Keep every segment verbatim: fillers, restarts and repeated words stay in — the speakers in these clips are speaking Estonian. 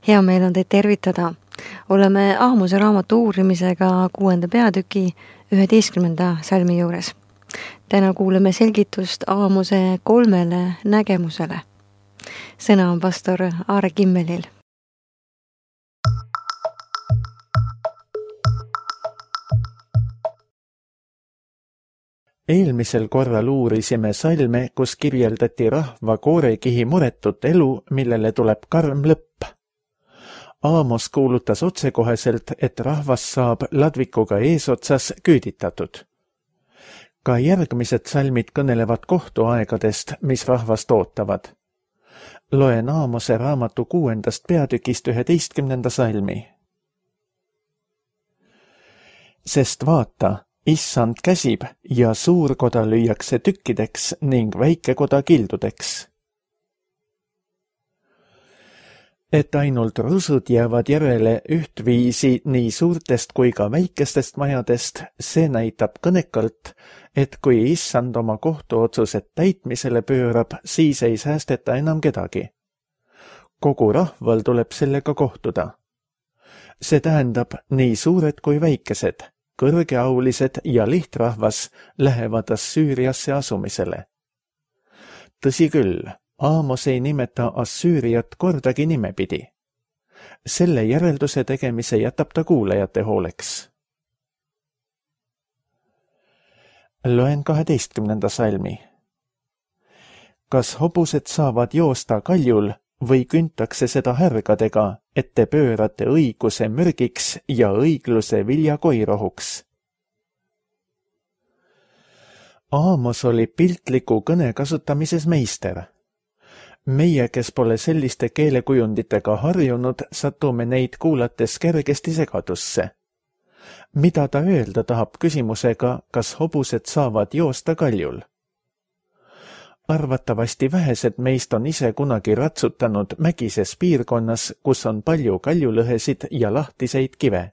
Hea meel on teid tervitada. Oleme Aamuse raamatu uurimisega kuuenda peatüki üheteistkümnenda salmi juures. Täna kuuleme selgitust Aamuse kolmele nägemusele. Sõna on pastor Aare Kimmelil. Eelmisel korral uurisime salme, kus kirjeldati rahva koorekihi muretut elu, millele tuleb karm lõpp. Aamos kuulutas otsekoheselt, et rahvas saab ladvikuga eesotsas küüditatud. Ka järgmised salmid kõnelevad kohtuaegadest, mis rahvast ootavad. Loen Aamose raamatu kuuendast peatükist üheteistkümnenda salmi. Sest vaata, Issand käsib ja suurkoda lüüakse tükkideks ning väikekoda kildudeks. Et ainult rusud jäävad järele ühtviisi nii suurtest kui ka väikestest majadest, see näitab kõnekalt, et kui Issand oma kohtuotsused täitmisele pöörab, siis ei säästeta enam kedagi. Kogu rahval tuleb sellega kohtuda. See tähendab nii suured kui väikesed, kõrgeaulised ja lihtrahvas lähevad Assüüriasse asumisele. Tõsi küll, Aamos ei nimeta Assüüriat kordagi nimepidi. Selle järelduse tegemise jätab ta kuulajate hooleks. Loen kaheteistkümnenda salmi. Kas hobused saavad joosta kaljul või küntakse seda härgadega, et te pöörate õiguse mürgiks ja õigluse viljakoirohuks? Aamos oli piltliku kõne kasutamises meister. Meie, kes pole selliste keelekujunditega harjunud, satume neid kuulates kergesti segadusse. Mida ta öelda tahab küsimusega, kas hobused saavad joosta kaljul? Arvatavasti vähesed meist on ise kunagi ratsutanud mägises piirkonnas, kus on palju kaljulõhesid ja lahtiseid kive.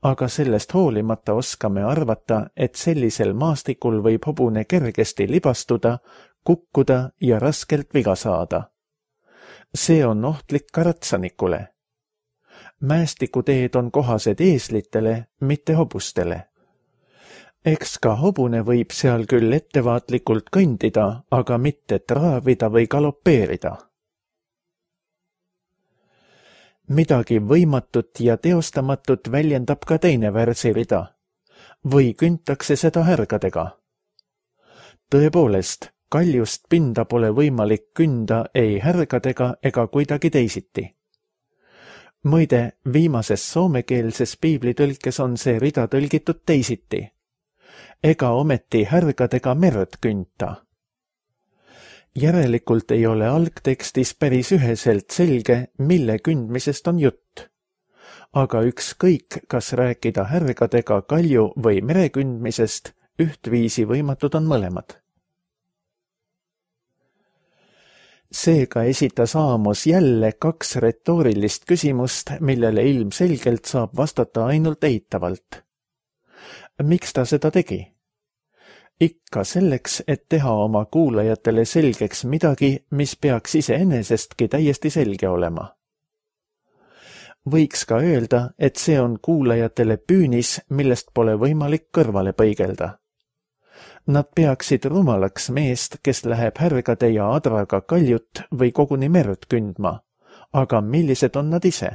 Aga sellest hoolimata oskame arvata, et sellisel maastikul võib hobune kergesti libastuda, kukkuda ja raskelt viga saada. See on ohtlik ka ratsanikule. Mäestikuteed on kohased eeslitele, mitte hobustele. Eks ka hobune võib seal küll ettevaatlikult kõndida, aga mitte traavida või galopeerida. Midagi võimatut ja teostamatut väljendab ka teine värsirida. Või küntakse seda härgadega. Tõepoolest, kaljust pinda pole võimalik künda ei härgadega ega kuidagi teisiti. Muide, viimases soomekeelses piiblitõlkes on see rida tõlgitud teisiti. Ega ometi härgadega merd künta. Järelikult ei ole algtekstis päris üheselt selge, mille kündmisest on jutt. Aga ükskõik, kas rääkida härgadega kalju või merekündmisest, ühtviisi võimatud on mõlemad. Seega esitas Aamos jälle kaks retoorilist küsimust, millele ilmselgelt saab vastata ainult eitavalt. Miks ta seda tegi? Ikka selleks, et teha oma kuulajatele selgeks midagi, mis peaks iseenesestki täiesti selge olema. Võiks ka öelda, et see on kuulajatele püünis, millest pole võimalik kõrvale põigelda. Nad peaksid rumalaks meest, kes läheb härgade ja adraga kaljut või koguni merd kündma, aga millised on nad ise?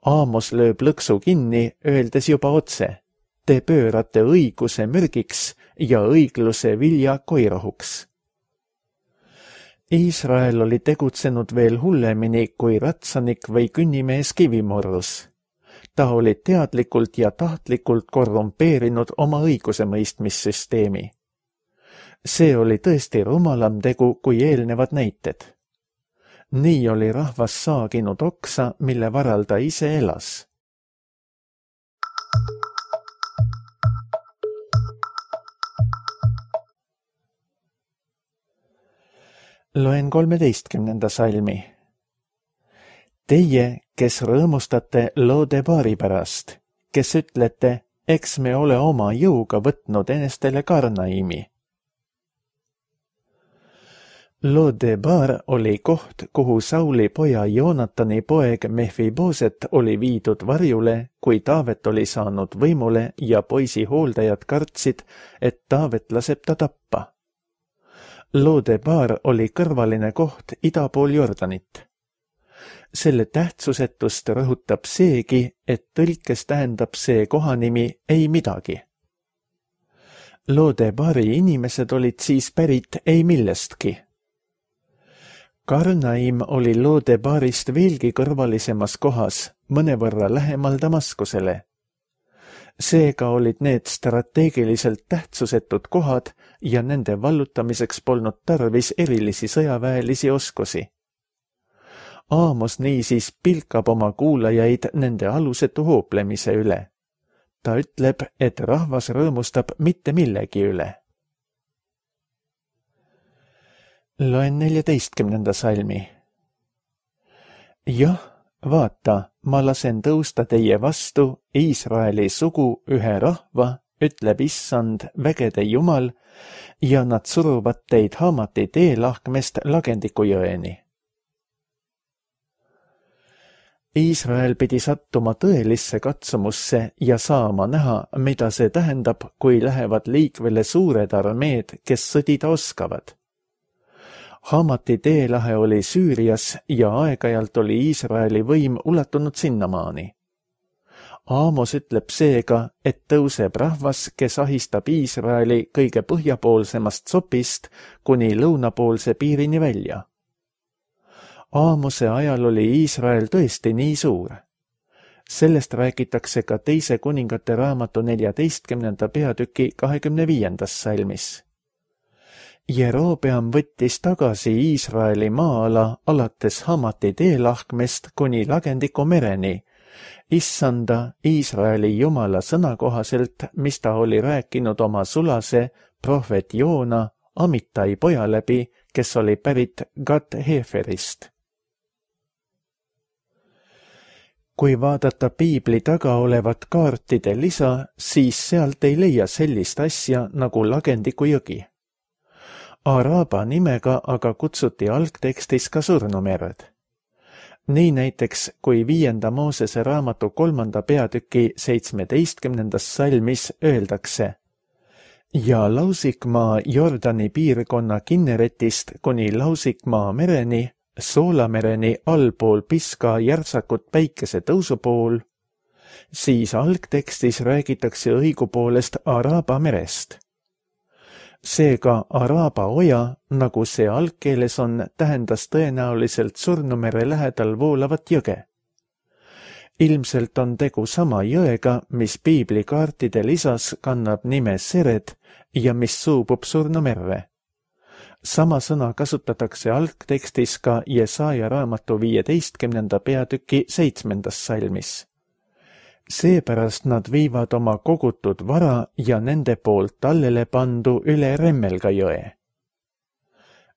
Aamos lööb lõksu kinni, öeldes juba otse. Te pöörate õiguse mürgiks ja õigluse vilja koirohuks. Iisrael oli tegutsenud veel hullemini kui ratsanik või künnimees kivimorrus. Ta oli teadlikult ja tahtlikult korrumpeerinud oma õigusemõistmissüsteemi. See oli tõesti rumalam tegu kui eelnevad näited. Nii oli rahvas saaginud oksa, mille varal ta ise elas. Loen kolmeteistkümnenda salmi. Teie, kes rõõmustate Lodebaari pärast, kes ütlete, eks me ole oma jõuga võtnud enestele Karnaimi. Lodebar oli koht, kuhu Sauli poja Joonatani poeg Mephiboset oli viidud varjule, kui Taavet oli saanud võimule ja poisi hooldajad kartsid, et Taavet laseb ta tappa. Lodebar oli kõrvaline koht ida pool Jordanit. Selle tähtsusetust rõhutab seegi, et tõlkes tähendab see kohanimi ei midagi. Lodebari inimesed olid siis pärit ei millestki. Karnaim oli Lodebarist veelgi kõrvalisemas kohas, mõnevõrra lähemal Damaskusele. Seega olid need strateegiliselt tähtsusetud kohad ja nende vallutamiseks polnud tarvis erilisi sõjaväelisi oskusi. Aamos niisiis pilkab oma kuulajaid nende alusetu hooplemise üle. Ta ütleb, et rahvas rõõmustab mitte millegi üle. Loen neljateistkümnenda salmi. Jah, vaata, ma lasen tõusta teie vastu Iisraeli sugu ühe rahva, ütleb issand vägede Jumal, ja nad suruvad teid Hamati teelahkmest Lagendiku jõeni. Iisrael pidi sattuma tõelisse katsumusse ja saama näha, mida see tähendab, kui lähevad liikvele suured armeed, kes sõdida oskavad. Hamati teelahe oli Süürias ja aeg-ajalt oli Iisraeli võim ulatunud sinnamaani. Aamos ütleb seega, et tõuseb rahvas, kes ahistab Iisraeli kõige põhjapoolsemast sopist kuni lõunapoolse piirini välja. Aamose ajal oli Iisrael tõesti nii suur. Sellest räägitakse ka teise kuningate raamatu neljateistkümnenda peatüki kahekümne viiendas salmis. Jerobeam võttis tagasi Iisraeli maa-ala alates Hamati teelahkmest kuni Lagendiku mereni, issanda Iisraeli Jumala sõna kohaselt, mis ta oli rääkinud oma sulase prohvet Joona Amitai poja läbi, kes oli pärit Gat-Heferist. Kui vaadata piibli taga olevat kaartide lisa, siis sealt ei leia sellist asja nagu Lagendiku jõgi. Araba nimega aga kutsuti algtekstis ka surnumerd. Nii näiteks, kui viienda Moosese raamatu kolmanda peatüki seitsmeteistkümnendas salmis öeldakse ja Lausikmaa Jordani piirkonna Kinneretist kuni Lausikmaa mereni, Soolamereni allpool Piska järtsakut päikese tõusu pool, siis algtekstis räägitakse õigupoolest Araba merest. Seega Araba oja, nagu see algkeeles on, tähendas tõenäoliselt Surnumere lähedal voolavat jõge. Ilmselt on tegu sama jõega, mis piiblikaartide lisas kannab nime Sered ja mis suubub Surnumerre. Sama sõna kasutatakse algtekstis ka Jesaja raamatu viieteistkümnenda peatüki seitsmendas salmis. Seepärast nad viivad oma kogutud vara ja nende poolt tallele pandu üle Remmelga jõe.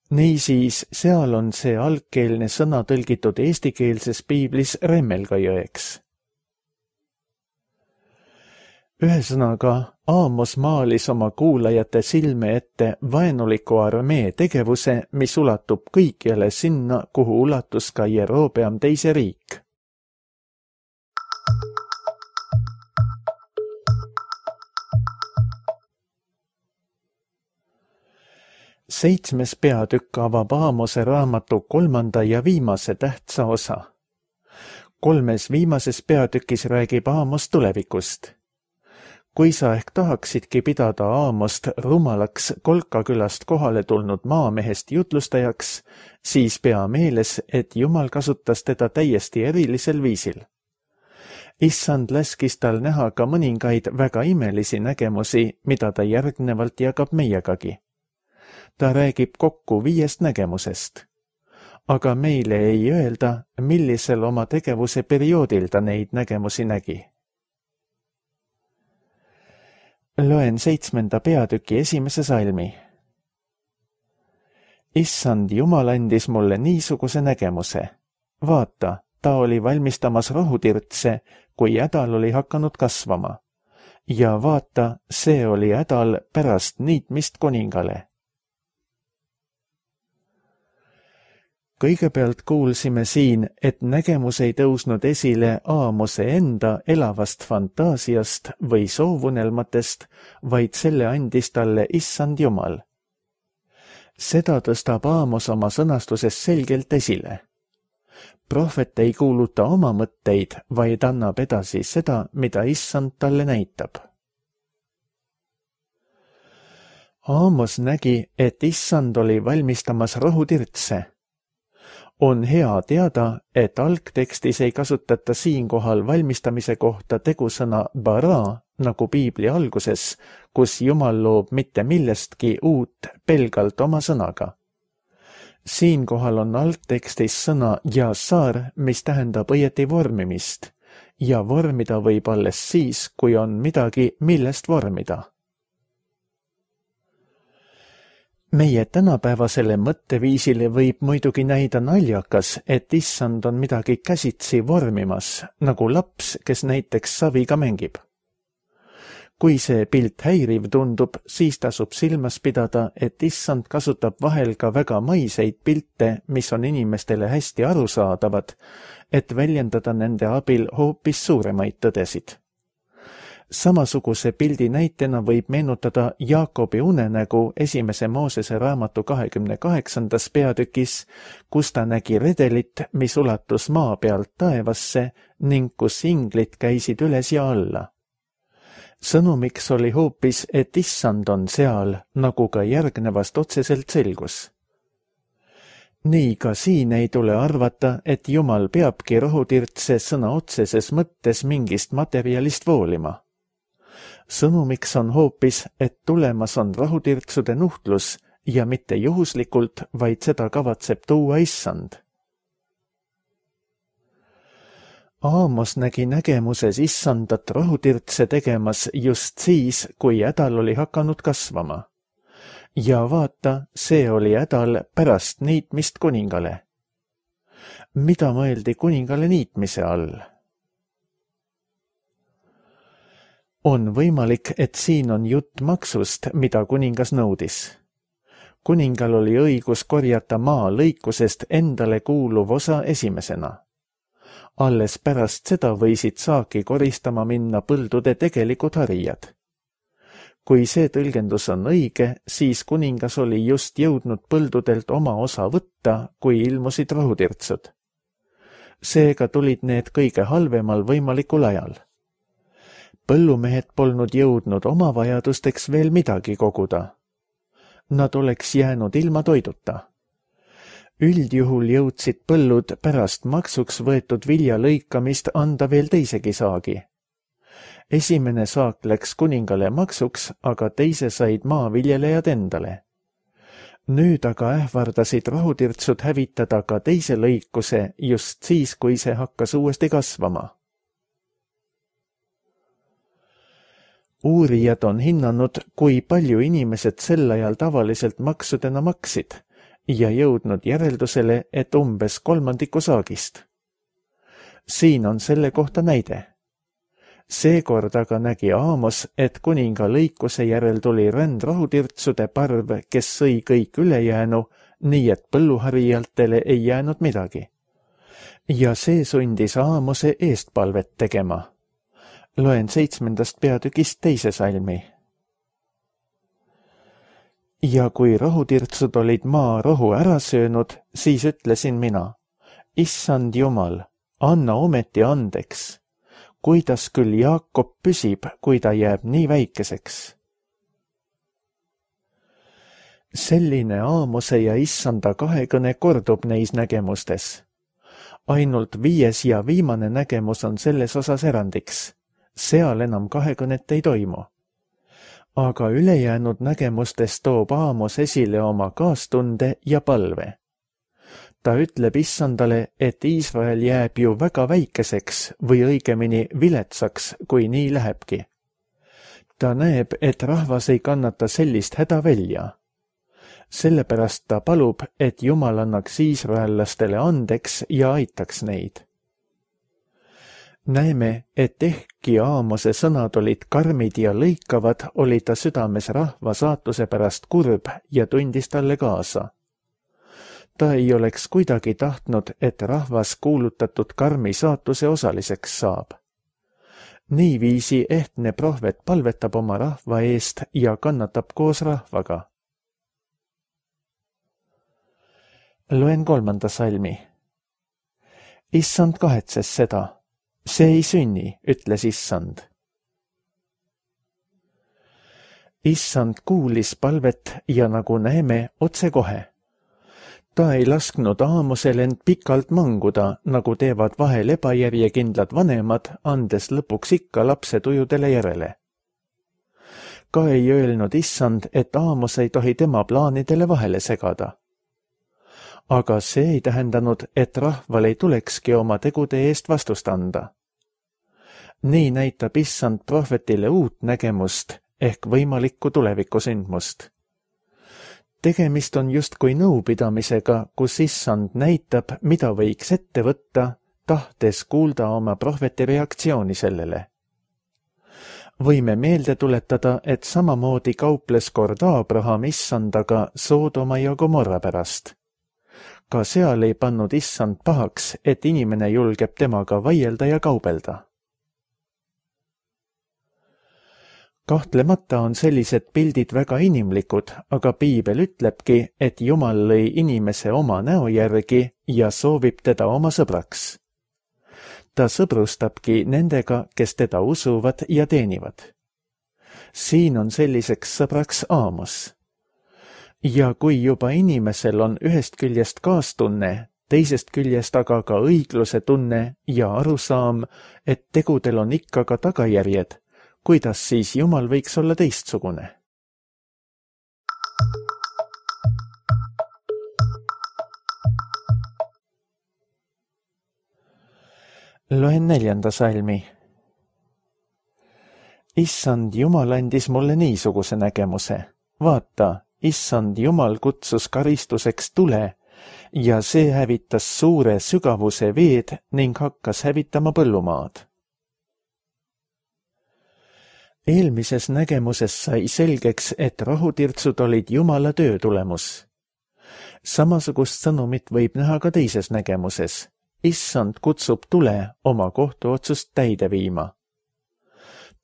Niisiis, seal on see algkeelne sõna tõlgitud eestikeelses piiblis Remmelga jõeks. Ühesõnaga, Aamos maalis oma kuulajate silme ette vaenuliku armee tegevuse, mis ulatub kõikjale sinna, kuhu ulatus ka Jerobeam teise riik. Seitsmes peatükk avab Aamose raamatu kolmanda ja viimase tähtsa osa. Kolmes viimases peatükis räägib Aamos tulevikust. Kui sa ehk tahaksidki pidada Aamost rumalaks Kolkakülast kohale tulnud maamehest jutlustajaks, siis pea meeles, et Jumal kasutas teda täiesti erilisel viisil. Issand laskis tal näha ka mõningaid väga imelisi nägemusi, mida ta järgnevalt jagab meiegagi. Ta räägib kokku viiest nägemusest. Aga meile ei öelda, millisel oma tegevuse perioodil ta neid nägemusi nägi. Loen seitsmenda peatüki esimese salmi. Issand Jumal andis mulle niisuguse nägemuse. Vaata, ta oli valmistamas rohutirtse, kui hädal oli hakanud kasvama. Ja vaata, see oli hädal pärast niitmist kuningale. Kõigepealt kuulsime siin, et nägemus ei tõusnud esile Aamose enda elavast fantaasiast või soovunelmatest, vaid selle andis talle Issand Jumal. Seda tõstab Aamos oma sõnastuses selgelt esile. Prohvet ei kuuluta oma mõtteid, vaid annab edasi seda, mida Issand talle näitab. Aamos nägi, et Issand oli valmistamas rohutirtse. On hea teada, et algtekstis ei kasutata siinkohal valmistamise kohta tegusõna bara, nagu Piibli alguses, kus Jumal loob mitte millestki uut pelgalt oma sõnaga. Siinkohal on algtekstis sõna jasar, mis tähendab õieti vormimist, ja vormida võib alles siis, kui on midagi, millest vormida. Meie tänapäevasele mõtteviisile võib muidugi näida naljakas, et Issand on midagi käsitsi vormimas, nagu laps, kes näiteks saviga mängib. Kui see pilt häiriv tundub, siis tasub silmas pidada, et Issand kasutab vahel ka väga maiseid pilte, mis on inimestele hästi arusaadavad, et väljendada nende abil hoopis suuremaid tõdesid. Samasuguse pildi näitena võib meenutada Jaakobi unenägu esimese Moosese raamatu kahekümne kaheksandas peatükis, kus ta nägi redelit, mis ulatus maa pealt taevasse ning kus inglid käisid üles ja alla. Sõnumiks oli hoopis, et Issand on seal, nagu ka järgnevast otseselt selgus. Nii ka siin ei tule arvata, et Jumal peabki rohutirtse sõna otseses mõttes mingist materjalist voolima. Sõnumiks on hoopis, et tulemas on rohutirtsude nuhtlus ja mitte juhuslikult, vaid seda kavatseb tuua Issand. Aamos nägi nägemuses Issandat rohutirtse tegemas just siis, kui hädal oli hakanud kasvama. Ja vaata, see oli hädal pärast niitmist kuningale. Mida mõeldi kuningale niitmise all? On võimalik, et siin on jutt maksust, mida kuningas nõudis. Kuningal oli õigus korjata maa lõikusest endale kuuluv osa esimesena. Alles pärast seda võisid saaki koristama minna põldude tegelikud harijad. Kui see tõlgendus on õige, siis kuningas oli just jõudnud põldudelt oma osa võtta, kui ilmusid rohutirtsud. Seega tulid need kõige halvemal võimalikul ajal. Põllumehed polnud jõudnud oma vajadusteks veel midagi koguda. Nad oleks jäänud ilma toiduta. Üldjuhul jõudsid põllud pärast maksuks võetud vilja lõikamist anda veel teisegi saagi. Esimene saak läks kuningale maksuks, aga teise said maaviljelejad endale. Nüüd aga ähvardasid rohutirtsud hävitada ka teise lõikuse just siis, kui see hakkas uuesti kasvama. Uurijad on hinnanud, kui palju inimesed sel ajal tavaliselt maksudena maksid ja jõudnud järeldusele, et umbes kolmandiku saagist. Siin on selle kohta näide. Seekord aga nägi Aamos, et kuninga lõikuse järel tuli rändrohutirtsude parv, kes sõi kõik ülejäänu, nii et põlluharijatele ei jäänud midagi. Ja see sundis Aamose eestpalvet tegema. Loen seitsmendast peatükist teise salmi. Ja kui rohutirtsud olid maa rohu ära söönud, siis ütlesin mina, Issand Jumal, anna ometi andeks, kuidas küll Jaakob püsib, kui ta jääb nii väikeseks. Selline Aamose ja Issanda kahekõne kordub neis nägemustes. Ainult viies ja viimane nägemus on selles osas erandiks. Seal enam kahekõnet ei toimu. Aga ülejäänud nägemustes toob Aamos esile oma kaastunde ja palve. Ta ütleb Issandale, et Iisrael jääb ju väga väikeseks või õigemini viletsaks, kui nii lähebki. Ta näeb, et rahvas ei kannata sellist häda välja. Sellepärast ta palub, et Jumal annaks iisraellastele andeks ja aitaks neid. Näeme, et ehkki Aamose sõnad olid karmid ja lõikavad, oli ta südames rahva saatuse pärast kurb ja tundis talle kaasa. ta ei oleks kuidagi tahtnud, et rahvas kuulutatud karmi saatuse osaliseks saab. Niiviisi ehtne prohvet palvetab oma rahva eest ja kannatab koos rahvaga. Loen kolmanda salmi. Issand kahetses seda. See ei sünni, ütles Issand. Issand kuulis palvet ja nagu näeme otsekohe. Ta ei lasknud Aamosel end pikalt manguda, nagu teevad vahel ebajärjekindlad vanemad, andes lõpuks ikka lapse tujudele järele. Ka ei öelnud Issand, et Aamos ei tohi tema plaanidele vahele segada. Aga see ei tähendanud, et rahval ei tulekski oma tegude eest vastust anda. Nii näitab Issand prohvetile uut nägemust ehk võimalikku tulevikusündmust. Tegemist on justkui nõupidamisega, kus Issand näitab, mida võiks ette võtta, tahtes kuulda oma prohveti reaktsiooni sellele. Võime meelde tuletada, et samamoodi kauples kord Abraham Issandaga Soodoma ja Gomorra pärast. Ka seal ei pannud Issand pahaks, et inimene julgeb temaga vaielda ja kaubelda. Kahtlemata on sellised pildid väga inimlikud, aga piibel ütlebki, et Jumal lõi inimese oma näo järgi ja soovib teda oma sõbraks. Ta sõbrustabki nendega, kes teda usuvad ja teenivad. Siin on selliseks sõbraks Aamos. Ja kui juba inimesel on ühest küljest kaastunne, teisest küljest aga ka õigluse tunne ja arusaam, et tegudel on ikka ka tagajärjed, kuidas siis Jumal võiks olla teistsugune? Loen neljanda salmi. Issand Jumal andis mulle niisuguse nägemuse. Vaata, Issand Jumal kutsus karistuseks tule ja see hävitas suure sügavuse veed ning hakkas hävitama põllumaad. Eelmises nägemuses sai selgeks, et rahutirtsud olid Jumala töö tulemus. Samasugust sõnumit võib näha ka teises nägemuses. Issand kutsub tule oma kohtuotsust täide viima.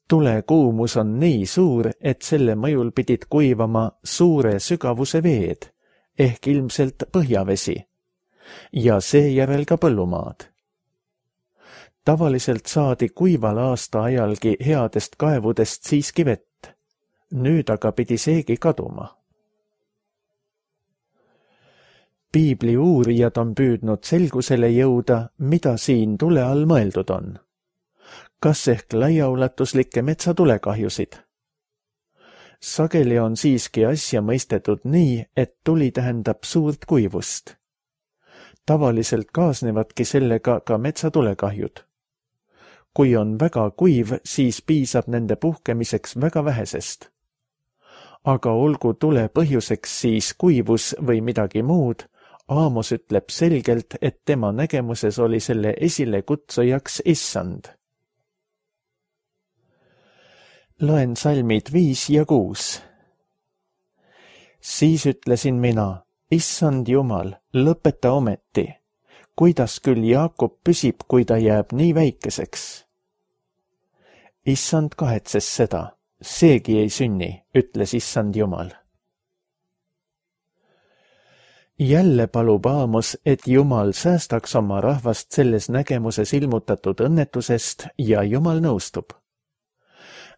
Tule kuumus on nii suur, et selle mõjul pidid kuivama suure sügavuse veed, ehk ilmselt põhjavesi, ja seejärel ka põllumaad. Tavaliselt saadi kuival aasta ajalgi headest kaevudest siiski vett. Nüüd aga pidi seegi kaduma. Piibli uurijad on püüdnud selgusele jõuda, mida siin tule all mõeldud on. Kas ehk laiaulatuslikke metsatulekahjusid? Sageli on siiski asja mõistetud nii, et tuli tähendab suurt kuivust. Tavaliselt kaasnevadki sellega ka metsatulekahjud. Kui on väga kuiv, siis piisab nende puhkemiseks väga vähesest. Aga olgu tule põhjuseks siis kuivus või midagi muud, Aamos ütleb selgelt, et tema nägemuses oli selle esile kutsujaks Issand. Loen salmid viis ja kuus. Siis ütlesin mina, Issand Jumal, lõpeta ometi. Kuidas küll Jaakob püsib, kui ta jääb nii väikeseks? Issand kahetses seda, seegi ei sünni, ütles Issand Jumal. Jälle palub Aamos, et Jumal säästaks oma rahvast selles nägemuses ilmutatud õnnetusest ja Jumal nõustub.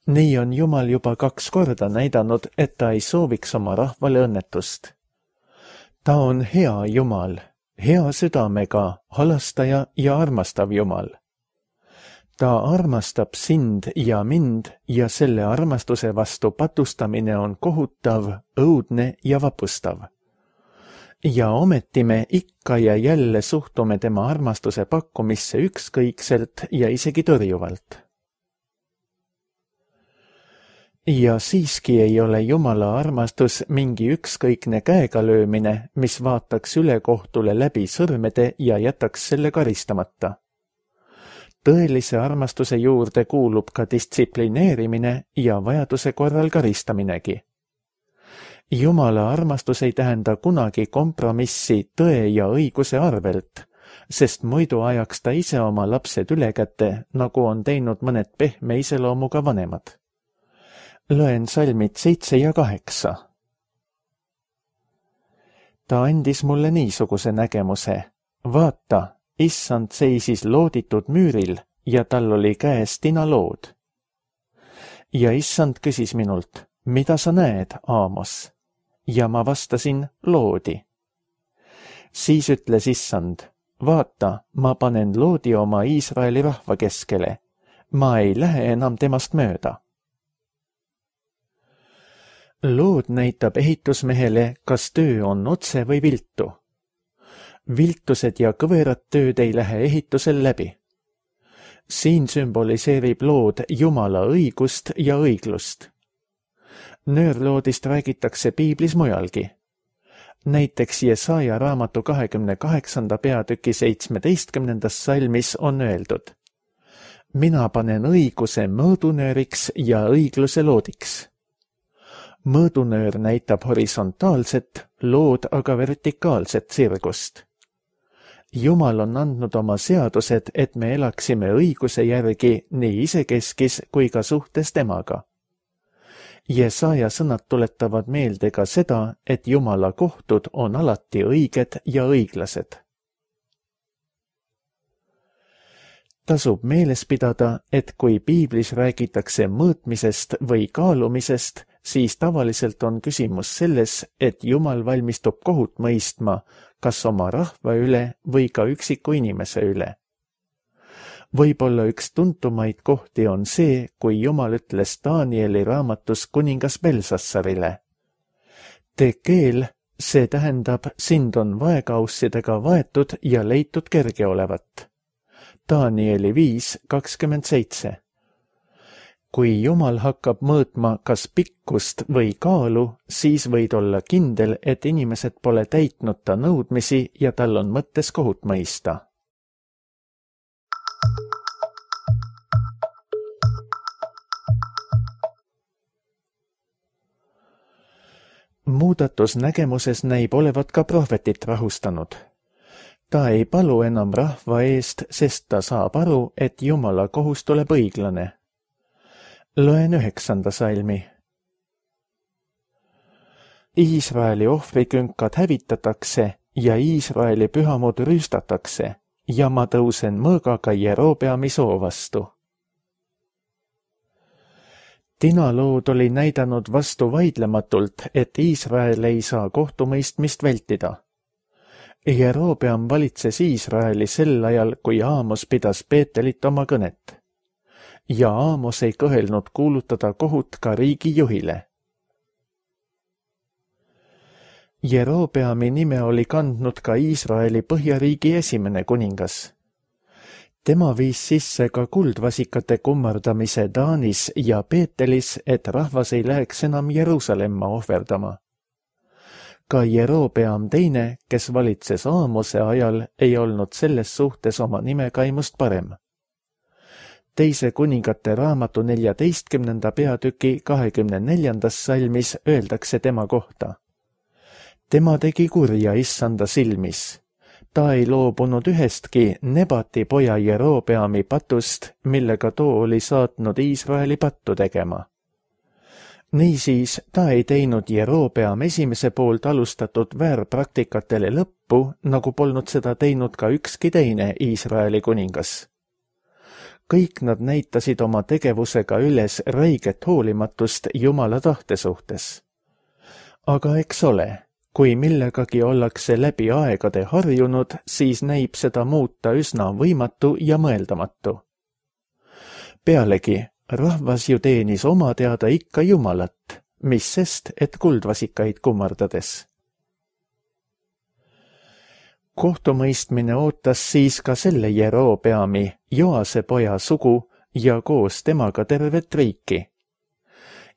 Nii on Jumal juba kaks korda näidanud, et ta ei sooviks oma rahvale õnnetust. Ta on hea Jumal, hea südamega, halastaja ja armastav Jumal. Ta armastab sind ja mind ja selle armastuse vastu patustamine on kohutav, õudne ja vapustav. Ja ometi me ikka ja jälle suhtume tema armastuse pakkumisse ükskõikselt ja isegi tõrjuvalt. Ja siiski ei ole Jumala armastus mingi ükskõikne käega löömine, mis vaataks ülekohtule läbi sõrmede ja jätaks selle karistamata. Tõelise armastuse juurde kuulub ka distsiplineerimine ja vajaduse korral karistaminegi. Jumala armastus ei tähenda kunagi kompromissi tõe ja õiguse arvelt, sest muidu ajaks ta ise oma lapsed üle kätte, nagu on teinud mõned pehme iseloomuga vanemad. Loen salmid seitse ja kaheksa. Ta andis mulle niisuguse nägemuse. Vaata, issand seisis looditud müüril ja tal oli käes tinalood. Ja issand küsis minult, mida sa näed, Aamos? Ja ma vastasin, loodi. Siis ütles issand, vaata, ma panen loodi oma Iisraeli rahva keskele. Ma ei lähe enam temast mööda. Lood näitab ehitusmehele, kas töö on otse või viltu. Viltused ja kõverad tööd ei lähe ehitusel läbi. Siin sümboliseerib lood Jumala õigust ja õiglust. Nöörloodist räägitakse piiblis mujalgi. Näiteks Jesaja raamatu kahekümne kaheksanda peatüki seitsmeteistkümnendas salmis on öeldud. Mina panen õiguse mõõdunööriks ja õigluse loodiks. Mõõdunöör näitab horisontaalset, lood aga vertikaalset sirgust. Jumal on andnud oma seadused, et me elaksime õiguse järgi nii isekeskis kui ka suhtes temaga. Jesaja sõnad tuletavad meelde ka seda, et Jumala kohtud on alati õiged ja õiglased. Tasub meeles pidada, et kui piiblis räägitakse mõõtmisest või kaalumisest, siis tavaliselt on küsimus selles, et Jumal valmistub kohut mõistma, kas oma rahva üle või ka üksiku inimese üle. Võib-olla üks tuntumaid kohti on see, kui Jumal ütles Danieli raamatus kuningas Belsassarile. Tekeel, see tähendab, sind on vaekaussidega vaetud ja leitud kerge olevat. Danieli viis kakskümmend seitse. Kui Jumal hakkab mõõtma kas pikkust või kaalu, siis võid olla kindel, et inimesed pole täitnud ta nõudmisi ja tal on mõttes kohut mõista. Muudatus nägemuses näib olevat ka prohvetit rahustanud. Ta ei palu enam rahva eest, sest ta saab aru, et Jumala kohus tuleb õiglane. Loen üheksanda salmi. Iisraeli ohvrikünkad hävitatakse ja Iisraeli pühamud rüüstatakse ja ma tõusen mõõgaga Jerobeami soo vastu. Tinalood oli näidanud vastu vaidlematult, et Iisrael ei saa kohtumõistmist vältida. Jerobeam valitses Iisraeli sel ajal, kui Aamos pidas Peetelit oma kõnet. Ja Aamos ei kõhelnud kuulutada kohut ka riigi juhile. Jerobeami nime oli kandnud ka Iisraeli põhjariigi esimene kuningas. Tema viis sisse ka kuldvasikate kummardamise Taanis ja Peetelis, et rahvas ei läheks enam Jeruusalemma ohverdama. Ka Jerobeam teine, kes valitses Aamose ajal, ei olnud selles suhtes oma nimekaimust parem. Teise kuningate raamatu neljateistkümnenda peatüki kahekümne neljandas salmis öeldakse tema kohta. Tema tegi kurja issanda silmis. Ta ei loobunud ühestki Nebati poja Jerobeami patust, millega too oli saatnud Iisraeli pattu tegema. Niisiis ta ei teinud Jerobeam esimese poolt alustatud väärpraktikatele lõppu, nagu polnud seda teinud ka ükski teine Iisraeli kuningas. Kõik nad näitasid oma tegevusega üles räiget hoolimatust Jumala tahte suhtes. Aga eks ole, kui millegagi ollakse läbi aegade harjunud, siis näib seda muuta üsna võimatu ja mõeldamatu. Pealegi, rahvas ju teenis oma teada ikka Jumalat, mis sest, et kuldvasikaid kummardades. Kohtumõistmine ootas siis ka selle Jerobeami, Joase poja sugu ja koos temaga tervet riiki.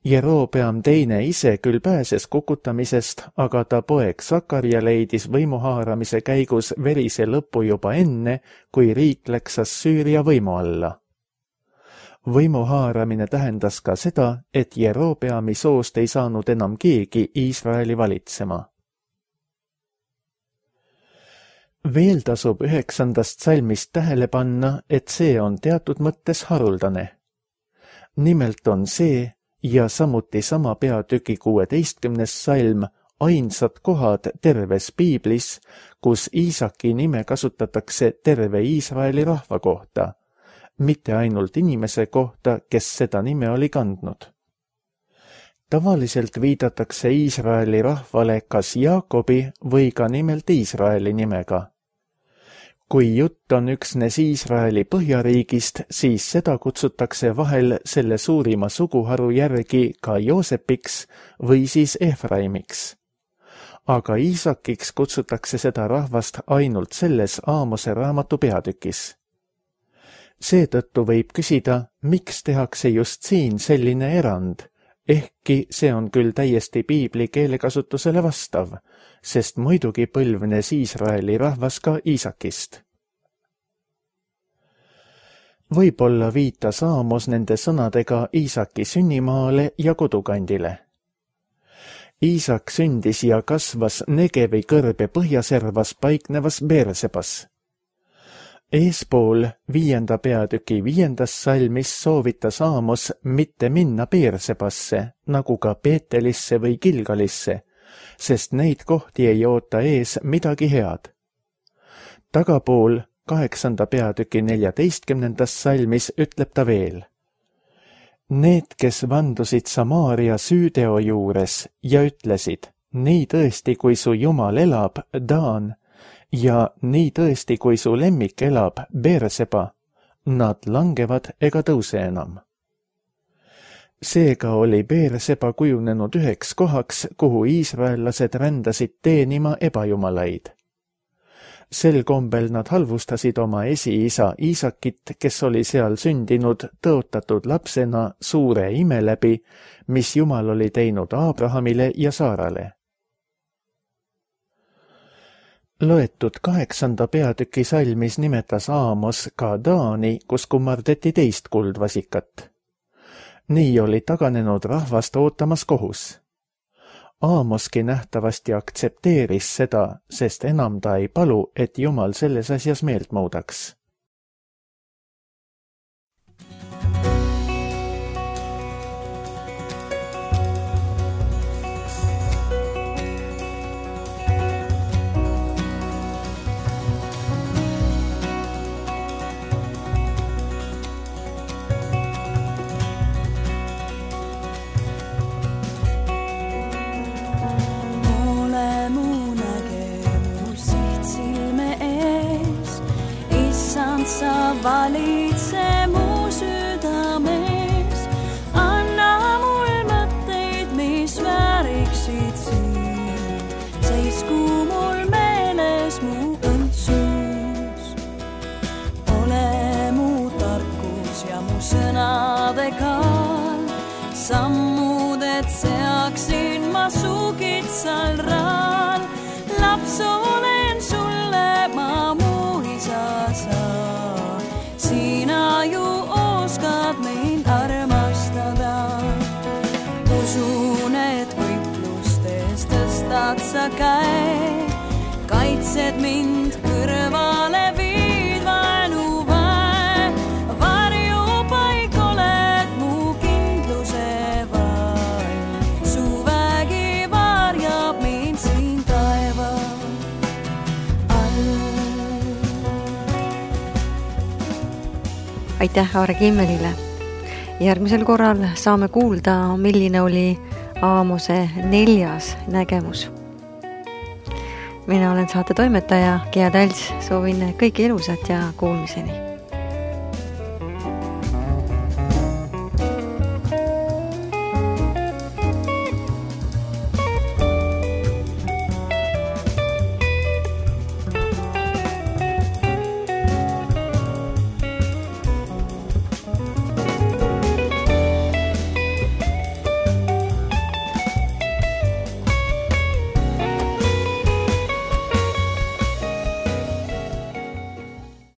Jerobeam teine ise küll pääses kukutamisest, aga ta poeg Sakarja leidis võimuhaaramise käigus verise lõpu juba enne, kui riik läks Assüüria võimu alla. Võimu haaramine tähendas ka seda, et Jerobeami soost ei saanud enam keegi Iisraeli valitsema. Veel tasub üheksandast salmist tähele panna, et see on teatud mõttes haruldane. Nimelt on see ja samuti sama peatüki kuueteistkümnes salm ainsad kohad terves piiblis, kus Iisaki nime kasutatakse terve Iisraeli rahva kohta, mitte ainult inimese kohta, kes seda nime oli kandnud. Tavaliselt viidatakse Iisraeli rahvale kas Jaakobi või ka nimelt Iisraeli nimega. Kui jutt on üksnes Iisraeli põhjariigist, siis seda kutsutakse vahel selle suurima suguharu järgi ka Joosepiks või siis Efraimiks. Aga Iisakiks kutsutakse seda rahvast ainult selles Aamose raamatu peatükis. Seetõttu võib küsida, miks tehakse just siin selline erand, ehkki see on küll täiesti piibli keelekasutusele vastav, sest muidugi põlvnes Iisraeli rahvas ka Iisakist. Võib-olla viitas Aamos nende sõnadega Iisaki sünnimaale ja kodukandile. Iisak sündis ja kasvas Negevi kõrbe põhjaservas paiknevas Beersebas. Eespool viienda peatüki viiendas salmis soovitas Aamos mitte minna Beersebasse, nagu ka Peetelisse või Gilgalisse, sest neid kohti ei oota ees midagi head. Tagapool kaheksanda peatüki neljateistkümnendas salmis ütleb ta veel. Need, kes vandusid Samaaria süüteo juures ja ütlesid, nii tõesti, kui su Jumal elab, Daan, ja nii tõesti, kui su lemmik elab, Beerseba, nad langevad ega tõuse enam. Seega oli Beerseba kujunenud üheks kohaks, kuhu iisraellased rändasid teenima ebajumalaid. Sel kombel nad halvustasid oma esiisa Iisakit, kes oli seal sündinud tõotatud lapsena suure ime läbi, mis Jumal oli teinud Aabrahamile ja Saarale. Loetud kaheksanda peatüki salmis nimetas Aamos ka Daani, kus kummardeti teist kuldvasikat. Nii oli taganenud rahvast ootamas kohus. Aamoski nähtavasti aktsepteeris seda, sest enam ta ei palu, et Jumal selles asjas meelt muudaks. Sa valitse mu südames, anna mul mõtteid, mis vääriksid sind, seisku mul meeles mu õndsus. Ole mu tarkus ja mu sõnade kaal, sammuded seaksin ma su kitsal raal, laps olen sulle, ma mu isa saan. Sina ju oskad mind armastada. Usun, et võitlustes tõstad sa käe, kaitsed mind kõrvale viid vaenu väe. Varjupaik oled mu kindluse vaim, su vägi varjab mind siin taeva all. Aitäh Aare Kimmelile. Järgmisel korral saame kuulda, milline oli Aamose neljas nägemus. Mina olen saate toimetaja Gea Talts, soovin kõike ilusat ja kuulmiseni.